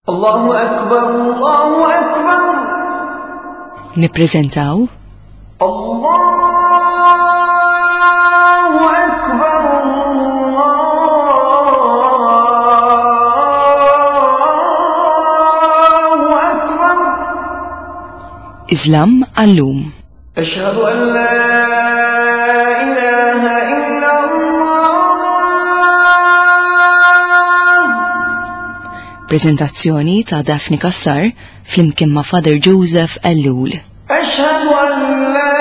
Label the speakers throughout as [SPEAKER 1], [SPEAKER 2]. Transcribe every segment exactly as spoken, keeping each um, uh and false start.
[SPEAKER 1] Allahu Akbar, Allahu Akbar.
[SPEAKER 2] Nippreżentaw
[SPEAKER 1] Allahu Akbar, Allahu Akbar.
[SPEAKER 2] Islam għallum.
[SPEAKER 1] Ashhadu an la ilaha illa Allah.
[SPEAKER 2] Prezentazzjoni ta' Daphne Cassar flimkien ma' Father Joseph Ellul.
[SPEAKER 1] Ashhadu an la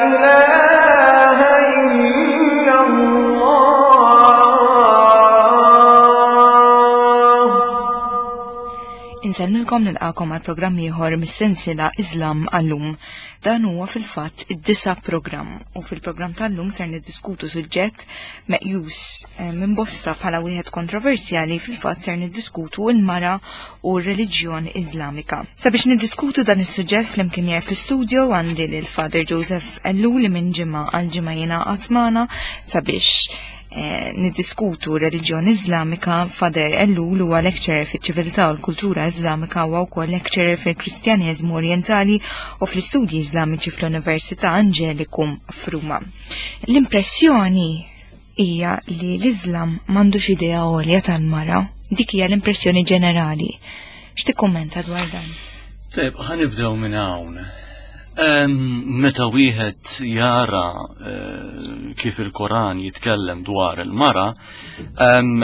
[SPEAKER 1] ilaha illa Allah.
[SPEAKER 2] Insellmilkom nilqakom għal programm ieħor mis-sensiela Islam għallum. Dan huwa fil-fatt id-disa programm u fil-programm tal-lum ser niddiskutu suġġett meqjus eh, minn bosta bħala wieħed kontroversjali, fil-fatt ser niddiskutu l-mara u r-reliġjon Iżlamika. Sabiex niddiskutu dan is-suġġett flimkien miegħi fl-istudio għandi lil Father Joseph Ellul li minn ġimgħa għal ġimgħa jingħaqad magħna sabiex eh, niddiskutu reliġjon Iżlamika. Father Ellul huwa lecturer fiċ-ċiviltà u l-kultura Iżlamika u wkoll lecturer fil-Kristjaneżmu Orientali u fl-istudji Iżlamiċi fl-Università Angelicum f'Ruma. L-impressjoni hija li l-Iżlam m'għandux idea għolja tal-mara, dik hija l-impressjoni ġenerali. X'tikkummenta dwar dan?
[SPEAKER 3] Tajb, ħa nibdew minn hawn. Em, Meta wieħed jara eh, kif il-Koran jitkellem dwar il-mara, em,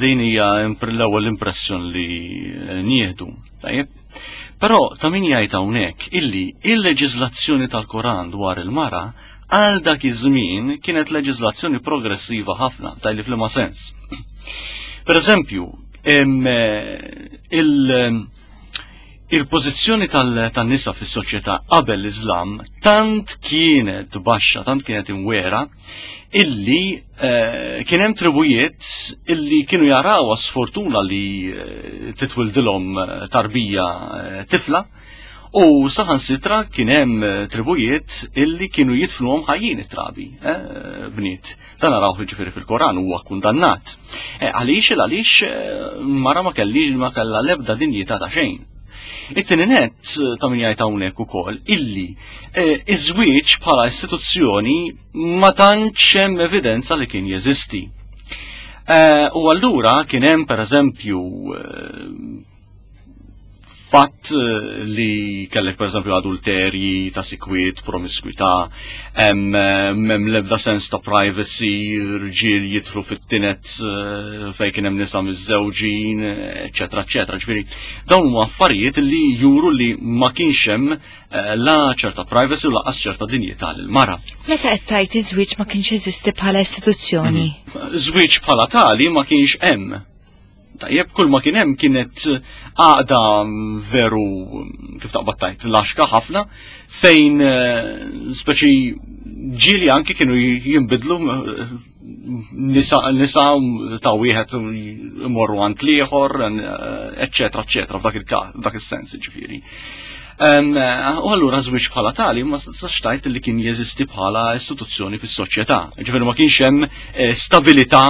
[SPEAKER 3] din hija impr- l-ewwel impressjoni li eh, nieħdu. Tajjeb? Però ta' min jgħid hawnhekk illi il-leġiżlazzjoni tal-Koran dwar il-mara għal dak iż-żmien kienet leġiżlazzjoni progressiva ħafna, tajli f'liema sens. Per eżempju, em, eh, il- Il-pożizzjoni tal-nisa fis-soċjetà qabel l-Islam tant kienet baxxa, tant kienet imwera, illi eh, kien hemm tribujiet illi kienu jarawha sfortuna li eh, titwildilhom eh, tarbija eh, tifla, u saħansitra kien hemm eh, tribujiet illi kienu jidfnuhom ħajjin it-trabi, eh, bniet. Dan naraw ġifieri fil-Koran huwa kundannat. Eh, Għaliex għaliex eh, mara ma kelli ma kellha l-ebda dinjità ta' xejn. It-tieni nett ta' min jgħid hawnhekk ukoll illi eh, iż-żwieġ bħala istituzzjoni ma tantx hemm evidenza li kien jeżisti. Eh, U allura kien hemm pereżempju eh, fatt eh, li kellek pereżempju adulterji, ta' sikwiet, promiskwità, hemm eh, m'hemm l-ebda sens ta' privacy, rġiel jidħlu fit-tinet eh, fejn kien hemm nisa miżżewġin, eċetera, eċetera. Ġifieri dawn huma affarijiet li juru li ma kienx hemm eh, la ċerta privacy u lanqas ċerta dinjità lil-mara.
[SPEAKER 2] Meta qed tgħid iż-żwieġ ma kienx jeżisti bħala istituzzjoni.
[SPEAKER 3] Żwieġ bħala tali ma kienx hemm. Tajjeb, kull ma kien hemm kienet għaqda veru kif taqbad tgħid laxka ħafna fejn eh, speċi ġieli anki kienu jinbidlu eh, nisa, nisa ta' wieħed imorru għand l-ieħor, eċċetera, eċċetera, f'dak il-ka, f'dak is-sens ġifieri. Em, U allura żwieġ bħala tali ma tistax tgħid li kien jeżisti bħala istituzzjoni fis-soċjetà. Ġifieri ma kienx hemm eh, stabilità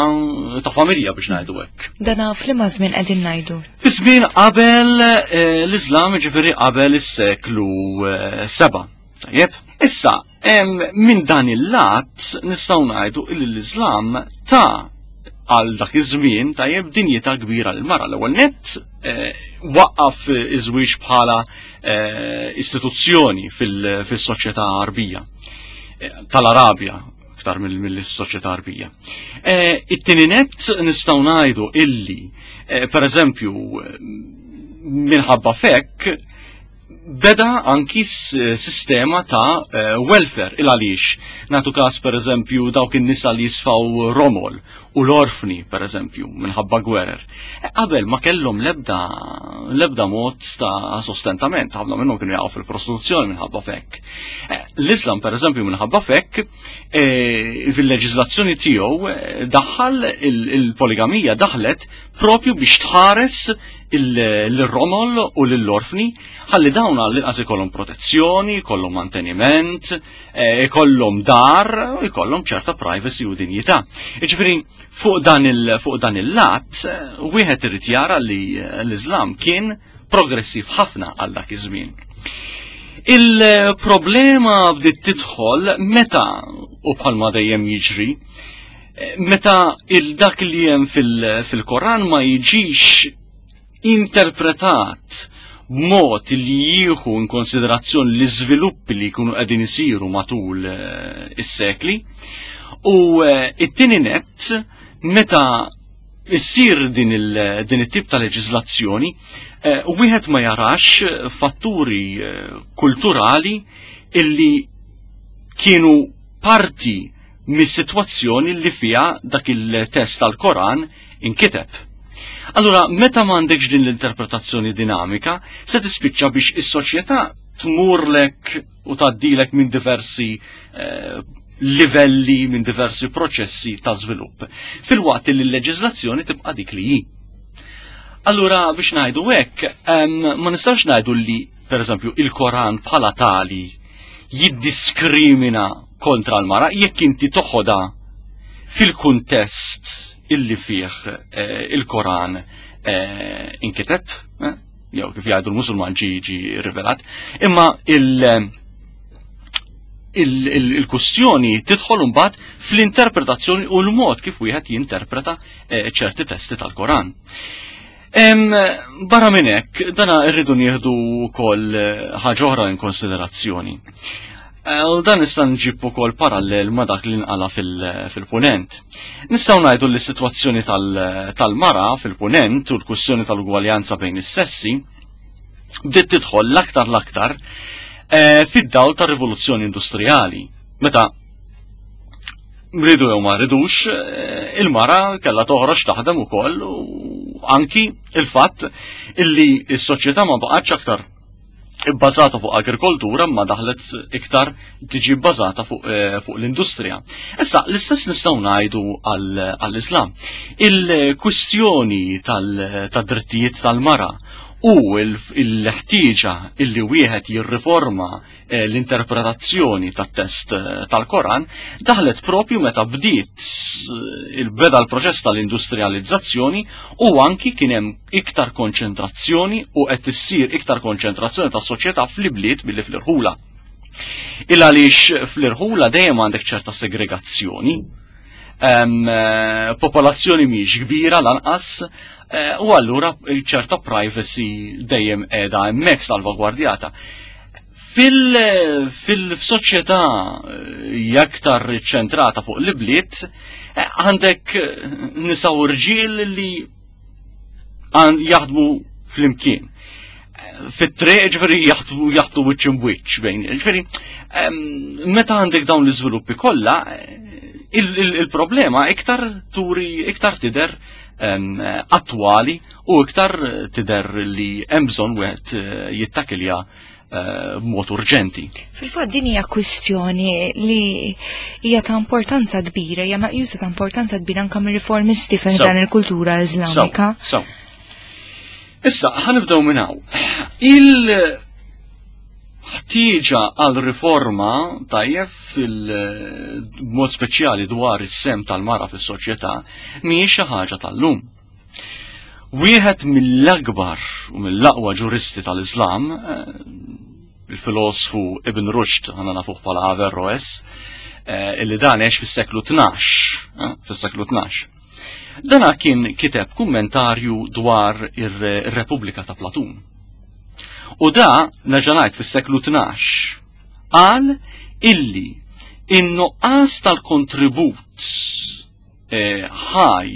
[SPEAKER 3] ta' familja biex ngħidu hekk.
[SPEAKER 2] Dana f'liema żmien qegħdin ngħidu.
[SPEAKER 3] Fi żmien qabel eh, l-Islam, ġifieri qabel is-seklu eh, seba. Tajjeb? Issa, em, minn dan il-lat nistgħu ngħidu li l-Islam ta' għal dak iż-żmien tajjeb dinjità kbira lil mara. L-ewwel nett eh, waqqaf iż-żwieġ bħala eh, istituzzjoni fil- fis-soċjetà Arbija eh, tal-Arabja aktar mill- mill-soċjetà Arbija. Eh, It-tieni nett nistgħu ngħidu illi eh, per eżempju eh, minħabba fekk beda anki s- sistema ta' eh, welfare il għaliex. Nagħtu kas per eżempju dawk in-nisa li jisfaw romol u l-orfni per eżempju minħabba gwerer. Eh, Qabel ma kellhom lebda lebda mod ta' sostentament, ħafna minnhom kienu jaqgħu fil-prostituzzjoni minħabba fekk. Eh, L-Islam per eżempju minħabba fekk eh, fil-leġiżlazzjoni tiegħu eh, daħħal il- il-poligamija daħlet propju biex tħares il-romol u l-orfni ħalli dawn għall-inqas ikollhom protezzjoni, ikollhom manteniment, eh, ikollhom dar, u ikollhom ċerta privacy u dinjità. Jiġifieri fuq dan il fuq dan il-lat wieħed irid jara li l-Iżlam kien progressiv ħafna għal dak iż-żmien. Il-problema bdiet tidħol meta, u bħalma dejjem jiġri, meta il-dak li hemm fil-Koran ma jiġix interpretat b'mod li jieħu in konsiderazzjoni l-iżviluppi li jkunu qegħdin isiru matul is-sekli, u it-tieni nett meta issir din it-tip ta' leġiżlazzjoni wieħed ma jarax fatturi kulturali illi kienu parti mis-sitwazzjoni li fiha dak il-test tal-Koran inkiteb. Allura, meta m'għandekx din l-interpretazzjoni dinamika, se tispiċċa biex is-soċjetà tmurlek u tgħaddilek minn diversi eh, livelli, minn diversi proċessi ta' żvilupp, filwaqt li l-leġiżlazzjoni tibqa' dik li hi. Allura, biex ngħidu hekk, ma nistax ngħidu li, pereżempju, il-Koran bħala tali jiddiskrimina kontra l-mara jekk inti toħodha fil-kuntest illi fih eh, il-Koran eh, inkiteb, eh, jew kif jgħidu l-Musulman ġi ġi rivelat, imma il- il-kustjoni tidħol imbagħad fl-interpretazzjoni u l-mod kif wieħed jinterpreta ċerti testi tal-Koran. Barra minn hekk, dana rridu nieħdu wkoll ħaġa oħra in konsiderazzjoni. U dan nista' nġib ukoll parallel ma' dak li nqala fil-punent. Nistgħu ngħidu li s-sitwazzjoni tal-mara fil-punent u l-kwistjoni tal-ugwaljanza bejn is-sessi bdiet tidħol l-aktar l-aktar fid-dawl tar-rivoluzzjoni industrijali. Meta rridu jew ma rridux, il-mara kellha toħroġ taħdem ukoll, u anki il-fatt illi s-soċjetà ma baqgħetx aktar bbażata fuq agrikoltura ma daħlet iktar tiġi bbażata fuq, fuq l-industrija. Issa, l-istess nistgħu ngħidu għall-Islam. Il-kwistjoni tad-drittijiet tal-mara u l-ħtieġa illi wieħed jirriforma l-interpretazzjoni tat-test tal-Koran daħlet propju meta bdiet il-beda l-proċess tal-industrializzazzjoni, u anki kien hemm iktar konċentrazzjoni u qed issir iktar konċentrazzjoni tas-soċjetà fl-ibliet billi fl-irħula. Il għaliex fl-irħula dejjem għandek ċerta segregazzjoni, popolazzjoni mhix kbira lanqas, u allura ċerta privacy dejjem qiegħda hemmhekk salvagwardjata. Fil-soċjetà aktar ċentrata fuq l-ibliet għandek nisa u rġiel li jaħdmu fl-imkien. Fit-triq ġifieri jaħdmu jaħdmu wiċċ imwiċċ bejn. Ġifieri meta għandek dawn l-iżviluppi kollha, il-problema iktar turi, iktar tidher attwali u iktar tidher li hemm bżonn wieħed jittakilja b'mod urġenti.
[SPEAKER 2] Fil-fatt din hija kwistjoni li hija ta' importanza kbira, hija meqjusa ta' importanza kbira anke mir-riformisti fejn dan il-kultura Iżlamika.
[SPEAKER 3] So, issa ħanibdew minn hawn. Il-ħtieġa għal riforma tajjeb fil-mod speċjali dwar is-sem tal-mara fis-soċjetà mhijiex xi ħaġa tal-lum. Wieħed mill-akbar u mill-aqwa ġuristi tal-Islam, il-filosfu Ibn Rushd, għandna nafuh bħala Averroes, illi dan għex fis-seklu tnax, fis-seklu tnax. Dana kien kiteb kummentarju dwar ir-Repubblika ta' Platun. U da, nerġa' ngħid fis-seklu tnax, qal illi in-nuqqas tal-kontribut ħaj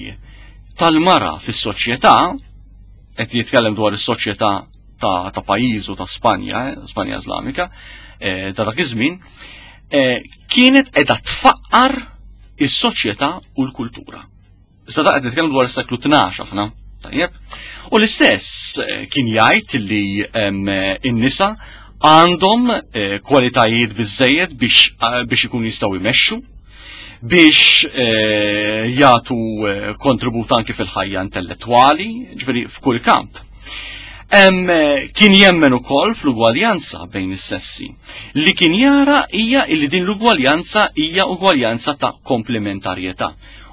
[SPEAKER 3] tal-mara fis-soċjetà, qed jitkellem dwar is-soċjetà ta', ta' pajjiżu ta' Spanja, Spanja Iżlamika, ta' dak iż-żmien, kienet qiegħda tfaqqar is-soċjetà u l-kultura. Issa da qed nitkellem dwar is-seklu tnax aħna, tajjeb. U l-istess kien jgħid li n-nisa għandhom kwalitajiet biżejjed biex biex ikun jistgħu jmexxu, biex jagħtu kontribut anki fil-ħajja intellettwali, ġifieri f'kull kamp. Kien jemmen ukoll fl-ugwaljanza bejn is-sessi. Li kien jara hija li din l-ugwaljanza hija ugwaljanza ta' komplementarjetà.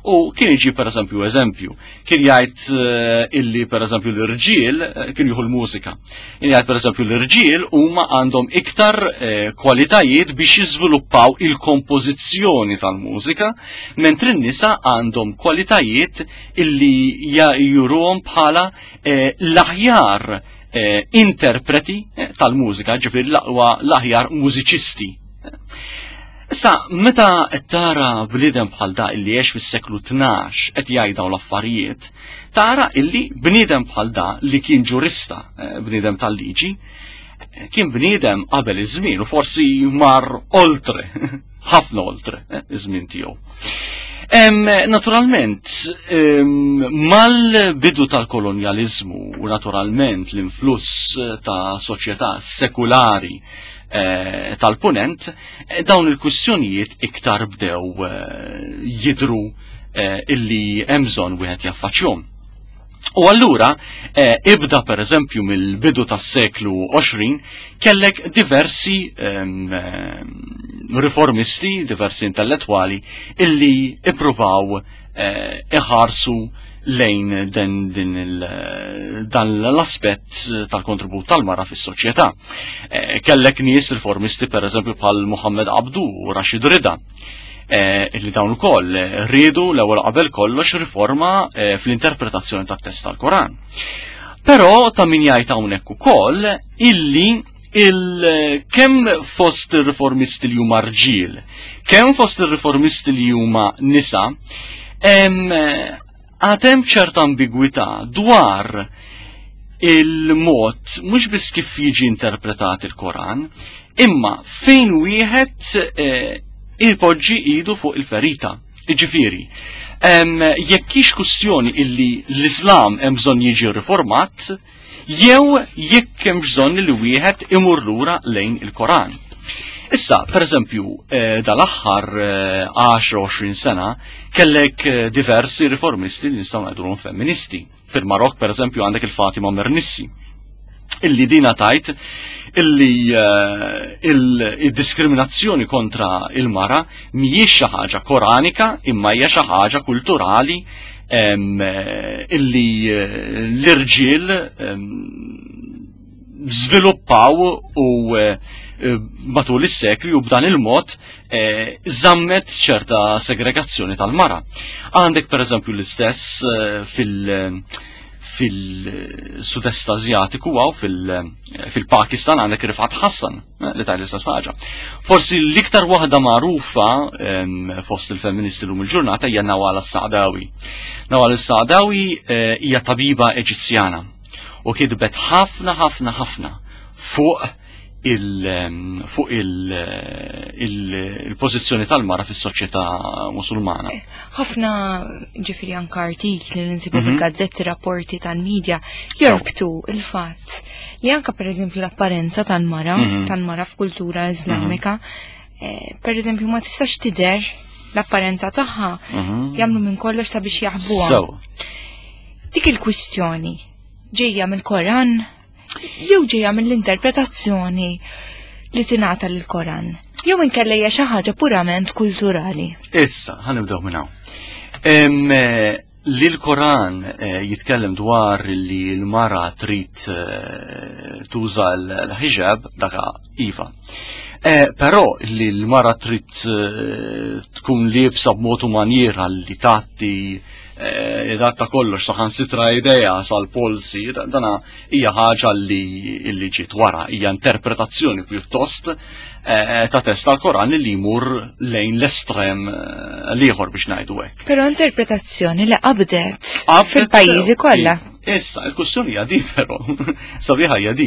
[SPEAKER 3] U kien iġib per eżempju eżempju, kien jgħid eh, illi per eżempju l-irġiel eh, kien jieħu l-mużika. Kien jgħid per eżempju l-irġiel huma għandhom iktar eh, kwalitajiet biex jiżviluppaw il-kompożizzjoni tal-mużika, mentri n-nisa għandhom kwalitajiet illi juruhom bħala l-aħjar interpreti tal-mużika, ġifieri l-aqwa l-aħjar mużiċisti. Issa, meta qed tara bniedem bħal da illi għex fis-seklu tnax qed jgħid dawn l-affarijiet, tara illi bniedem bħal da li kien ġurista, eh, bniedem tal-liġi, kien bniedem qabel iż-żmien u forsi mar oltre, ħafna oltre eh, iż-żmien tiegħu. Naturalment, mal-bidu tal-kolonjalizmu u naturalment l-influss ta' soċjetà sekulari eh, tal-punent, eh, dawn il-kwistjonijiet iktar bdew eh, jidru illi hemm bżonn wieħed jaffaċċjhom. U allura, ibda per eżempju mill-bidu tas-seklu għoxrin, kellek diversi riformisti, diversi intellettwali illi ippruvaw iħarsu lejn den, din il, dan l-aspett tal-kontribut tal-mara fis-soċjetà. Eh, kellek nies riformisti per eżempju bħal Muhammad Abdu u Rashid Rida, eh, illi dawn ukoll riedu l-ewwel qabel kollox riforma eh, fl-interpretazzjoni tat-test tal-Koran. Però ta' min jgħid hawnhekk ukoll illi il kemm fost ir-riformisti li huma rġiel, kemm fost ir-riformisti li huma nisa, għatem ċerta ambigwità dwar il-mod mhux biss kif jiġi interpretat il-Koran, imma fejn wieħed eh, ipoġġi idu fuq il-ferita. Jiġifieri, jekk hix kwistjoni illi l-Islam hemm bżonn jiġi riformat, jew jekk hemm bżonn li wieħed imur lura lejn il-Koran. Issa, per eżempju, eh, dal-aħħar eh, għaxra għoxrin sena kellek eh, diversi riformisti li nistgħu ngħidulhom femministi. Fil-Marok, per eżempju, għandek il-Fatima Mernissi, illi dina tajt illi il-diskriminazzjoni kontra il-mara mhijiex xi ħaġa koranika imma hija xi ħaġa kulturali illi l-irġiel żviluppaw u matul is-sekli u b'dan il-mod żammet ċerta segregazzjoni tal-mara. Għandek per eżempju l-istess fil- fil-sud-est Azjatiku għaw fil-Pakistan għandek Rifat Hassan li tajt l-istess ħaġa. Forsi l-iktar waħda magħrufa fost il-femministi l-lum il-ġurnata hija Nawal As-Sa'dawi. Nawal As-Sa'dawi hija tabiba Eġizzjana u kitbet ħafna ħafna ħafna fuq il fuq il-pożizzjoni tal-mara fis-soċjetà Musulmana.
[SPEAKER 2] Ħafna ġifieri anke artikli li nsibu fil-gazzetti, rapporti tal-medja jorbtu il-fatt li anke pereżempju l-apparenza tal-mara, tal-mara f'kultura Iżlamika, per eżempju ma tistax tidher l-apparenza tagħha, jagħmlu minn kollox sabiex jaħbuha. Dik il-kwistjoni ġejja mill-Koran jew ġejja mill-interpretazzjoni li tingħata lill-Koran, jew inkella hija xi ħaġa purament kulturali.
[SPEAKER 3] Issa, ħanibdew minn hawn. Li l-Koran jitkellem dwar li l-mara trid tuża l-ħiġab, daka iva. Però li l-mara trid tkun liebsa b'mod u maniera li tagħti ta' kollox saħansitra idea sal-polsi, dana hija ħaġa li ġiet wara, hija interpretazzjoni pjuttost ta' test tal-Koran li jmur lejn l-estrem l-ieħor biex ngħidu hekk.
[SPEAKER 2] Però interpretazzjoni li qabdet fil-pajjiżi kollha.
[SPEAKER 3] Issa, il-kwestjoni hija di però, sabiħa hija di,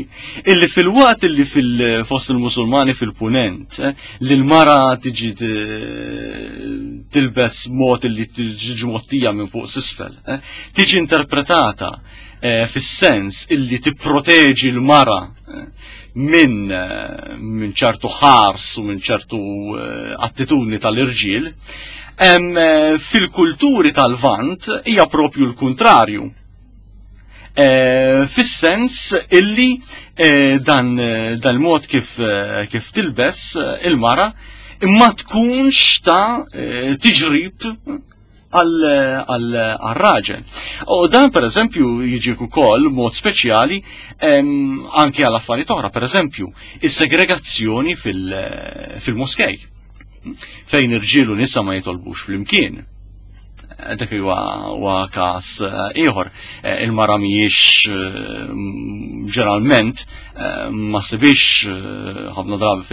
[SPEAKER 3] illi fil-waqt illi fil-fost il-Musulmani fil-punent, li l-mara tiġi tilbes mod illi tiġi mottija minn fuq s'isfel, tiġi interpretata fis-sens illi tipproteġi l-mara minn min ċertu ħars u minn ċertu attitudni tal-irġiel, fil-kulturi tal-Vant hija propju l-kuntrarju. Fis-sens illi dan dal-mod kif kif tilbes il-mara imma tkunx ta' tiġrib għal-raġel. U dan per eżempju jiġik ukoll mod speċjali anke għal affarijiet oħra, per eżempju, is-segregazzjoni fil-moskej, fejn irġiel u nisa ma jitolbux flimkien. Dak huwa każ ieħor. Il-mara mhijiex ġeneralment ma ssibix ħafna drabi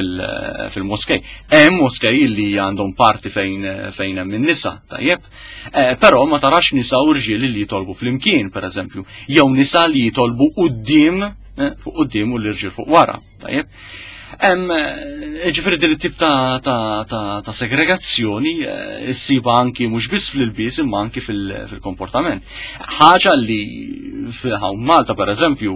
[SPEAKER 3] fil-moskej. Hemm moskej li għandhom parti fejn fejn hemm in-nisa, tajjeb. Però ma tarax nisa u rġiel li jitolbu flimkien, pereżempju, jew nisa li jitolbu quddiem fuq quddiem u l-irġiel fuq wara, tajjeb. Ġifieri din it-tip ta', ta, ta, ta segregazzjoni ssiba anki mhux biss fl-ilbies imma anki fil-komportament. Ħaġa li hawn Malta pereżempju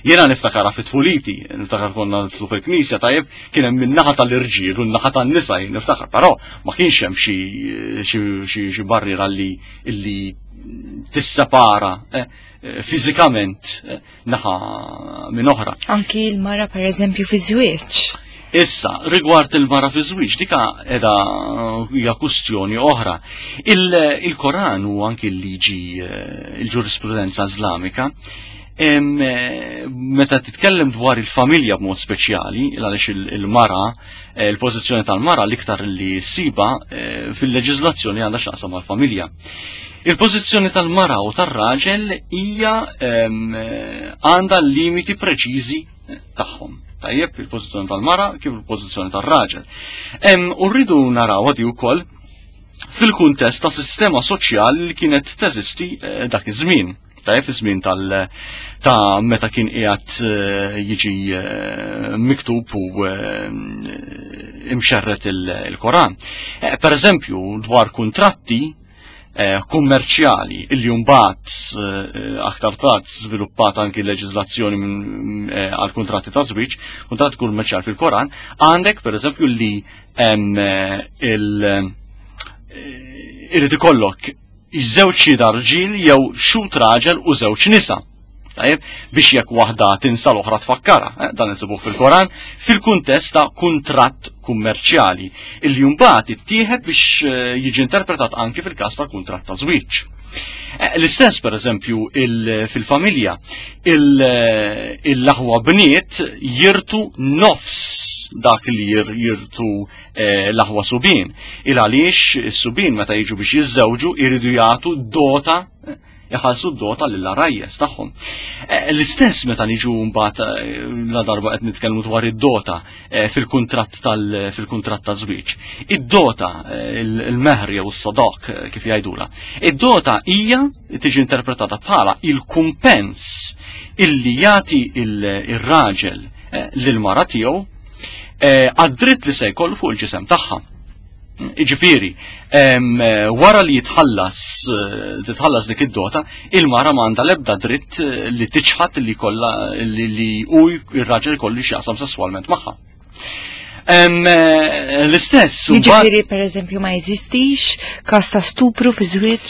[SPEAKER 3] jiena niftakarha fit-tfuliti, niftakar konna nitlu fil-knisja, tajjeb, kien hemm min-naħa tal-irġiel u n-naħa tan-nisa jien niftakar, però ma kienx hemm xi xi xi barriera li illi tissepara fiżikament naħa minn oħra.
[SPEAKER 2] Anki l-mara per eżempju fi żwieġ.
[SPEAKER 3] Issa, rigward il-mara fi żwieġ, dika edha hija kwistjoni oħra. Il-Koran u anki l-liġi, il-ġurisprudenza Iżlamika, meta titkellem dwar il-familja b'mod speċjali, għaliex il-mara, il-pożizzjoni tal-mara l-iktar li siba fil-leġiżlazzjoni għandha x'taqsam mal-familja. Il-pożizzjoni tal-mara u tar-raġel hija għandha limiti preċiżi tagħhom. Tajjeb, il-pożizzjoni tal-mara kif il-pożizzjoni tar-raġel. U rridu naraw għadi wkoll fil-kuntest ta' sistema soċjali li kienet teżisti dak iż-żmien. Tajjeb, iż-żmien tal ta' meta kien qiegħed jiġi miktub u imxerret il-Koran. Per eżempju, dwar kuntratti kummerċjali illi mbagħad aktar tard żviluppat anki leġiżlazzjoni għal kuntratti ta' żwieġ, kuntratti kummerċjali fil-Koran, għandek pereżempju li il irid ikollok żewġ xhieda rġiel jew xhud raġel u żewġ nisa. Tajjeb, biex jekk waħda tinsa l-oħra tfakkara, dan insibuh fil-Koran, fil-kuntest ta' kuntratt kummerċjali, illi mbagħad ittieħed biex jiġi interpretat anki fil-każ ta' kuntratt ta' żwieġ. L-istess pereżempju fil-familja, il-aħwa bniet jirtu nofs dak li jirtu l-aħwa subien. Il għaliex is-subien meta jiġu biex jiżżewġu jridu jagħtu dota, jħallsu d-dota lill-arajjes tagħhom. L-istess meta niġu mbagħad la darba qed nitkellmu dwar id-dota fil-kuntratt tal fil-kuntratt ta' żwieġ. Id-dota, il-meħr jew is-sadaq kif jgħidula. Id-dota hija tiġi interpretata bħala il-kumpens illi jagħti ir-raġel lill-mara tiegħu għad-dritt li se jkollu fuq il-ġisem tagħha. Iġifieri, wara li jitħallas titħallas dik id-dota, il-mara m'għandha l-ebda dritt li tiċħad li kollha li hu ir-raġel kollu x'jaqsam sesswalment magħha. L-istess.
[SPEAKER 2] Jiġifieri pereżempju ma jeżistix każ ta' stupru fi żwieġ?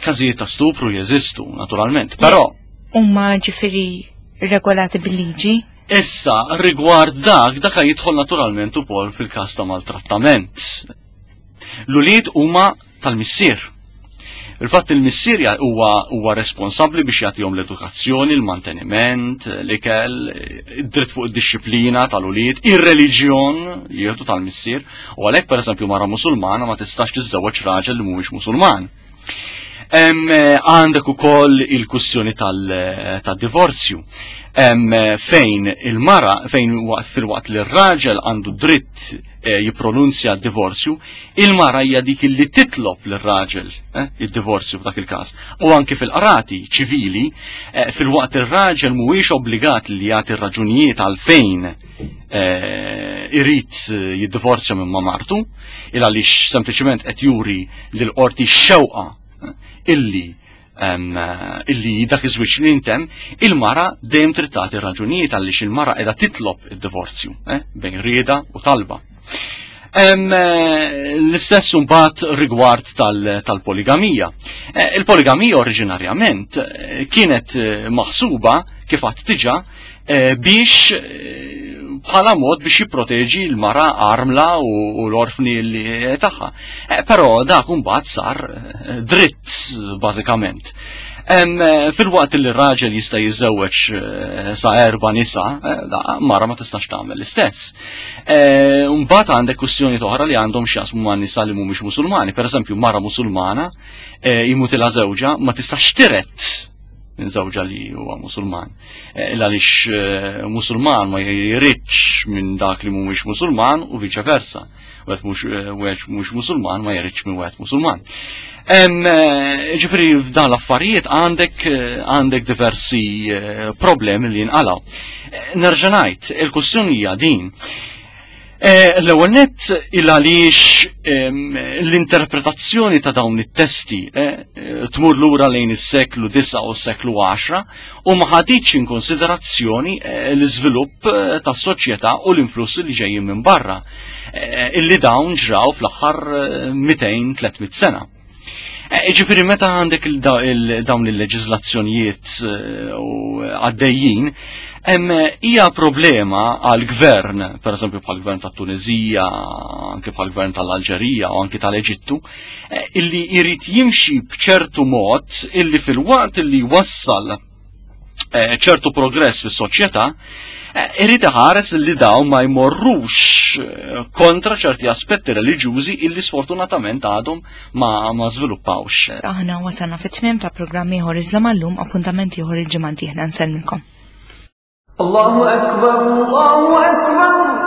[SPEAKER 3] Każijiet ta' stupru jeżistu, naturalment, però
[SPEAKER 2] huma ġifieri regolati bil-liġi?
[SPEAKER 3] Issa, rigward dak, dak jidħol naturalment ukoll fil-każ ta' maltrattament. L-ulied huma tal-missier. Il-fatt il-missier huwa huwa responsabbli biex jagħtihom l-edukazzjoni, il-manteniment, l-ikel, id-dritt fuq id-dixxiplina tal-ulied, ir-reliġjon jieħdu tal-missier, u għalhekk pereżempju mara Musulmana ma tistax tiżżewweġ raġel li mhuwiex Musulman. Għandek ukoll il-kwistjoni tad-divorzju, fejn il-mara, fejn fil-waqt li r-raġel għandu dritt jippronunzja d-divorzju, il-mara hija dik li titlob lir-raġel id-divorzju f'dak il-każ. U anki fil-qrati ċivili, fil-waqt ir-raġel mhuwiex obbligat li jagħti raġunijiet għalfejn irid jiddivorzja minn ma' martu, il għaliex sempliċement qed juri lill-qorti x-xewqa illi illi dak iż-żwieġ li intemm, il-mara dejjem trid tagħti raġunijiet għaliex il-mara qiegħda titlob id-divorzju, bejn rieda u talba. L-istess imbagħad rigward tal-poligamija. Il-poligamija oriġinarjament kienet maħsuba, kif għadt diġà, eh, biex eh, bħala mod biex jipproteġi l-mara armla u l-orfni li tagħha. Eh, però dak imbagħad sar dritt bażikament. Fil-waqt li r-raġel jista' jiżżewweġ sa erba' nisa, mara ma tistax tagħmel l-istess. Mbagħad għandek kwistjoni oħra li għandhom x'jaqsmu ma' nisa li mhumiex Musulmani. Pereżempju, mara Musulmana jmutilha żewġha ma tistax tiret minn żewġha li huwa Musulman. Għaliex Musulman ma jiritx minn dak li mhumiex Musulman u viċa versa. Wieħed mhux Musulman ma jiritx minn wieħed Musulman. Ġifieri f'dan l-affarijiet għandek għandek diversi problemi li jinqalgħu. Nerġa' ngħid, il-kwistjoni hija din. L-ewwel nett il għaliex l-interpretazzjoni ta' dawn it-testi tmur lura lejn is-seklu disa' u s-seklu għaxra u ma ħaditx in konsiderazzjoni l-iżvilupp tas-soċjetà u l-influssi li ġejjin minn barra, illi dawn ġraw fl-aħħar mitejn tliet mitt sena. Ġifieri meta għandek dawn il-leġiżlazzjonijiet għaddejjin, hija problema għal-gvern, per eżempju bħal-gvern tat-Tunezija, anke bħal-gvern tal-Alġerija u anke tal-Eġittu, illi jrid jimxi b'ċertu mod illi fil-waqt illi wassal ċertu progress fis-soċjetà, irid iħares li dawn ma jmorrux kontra ċerti aspetti reliġjużi illi sfortunatament għadhom ma, ma żviluppawx.
[SPEAKER 2] Aħna wasalna fit-tmiem ta' programm ieħor Iżlam għallum, appuntament ieħor il-ġimgħa d-dieħla. Nsellmilkom.
[SPEAKER 1] Allahu Akbar, Allahu Akbar.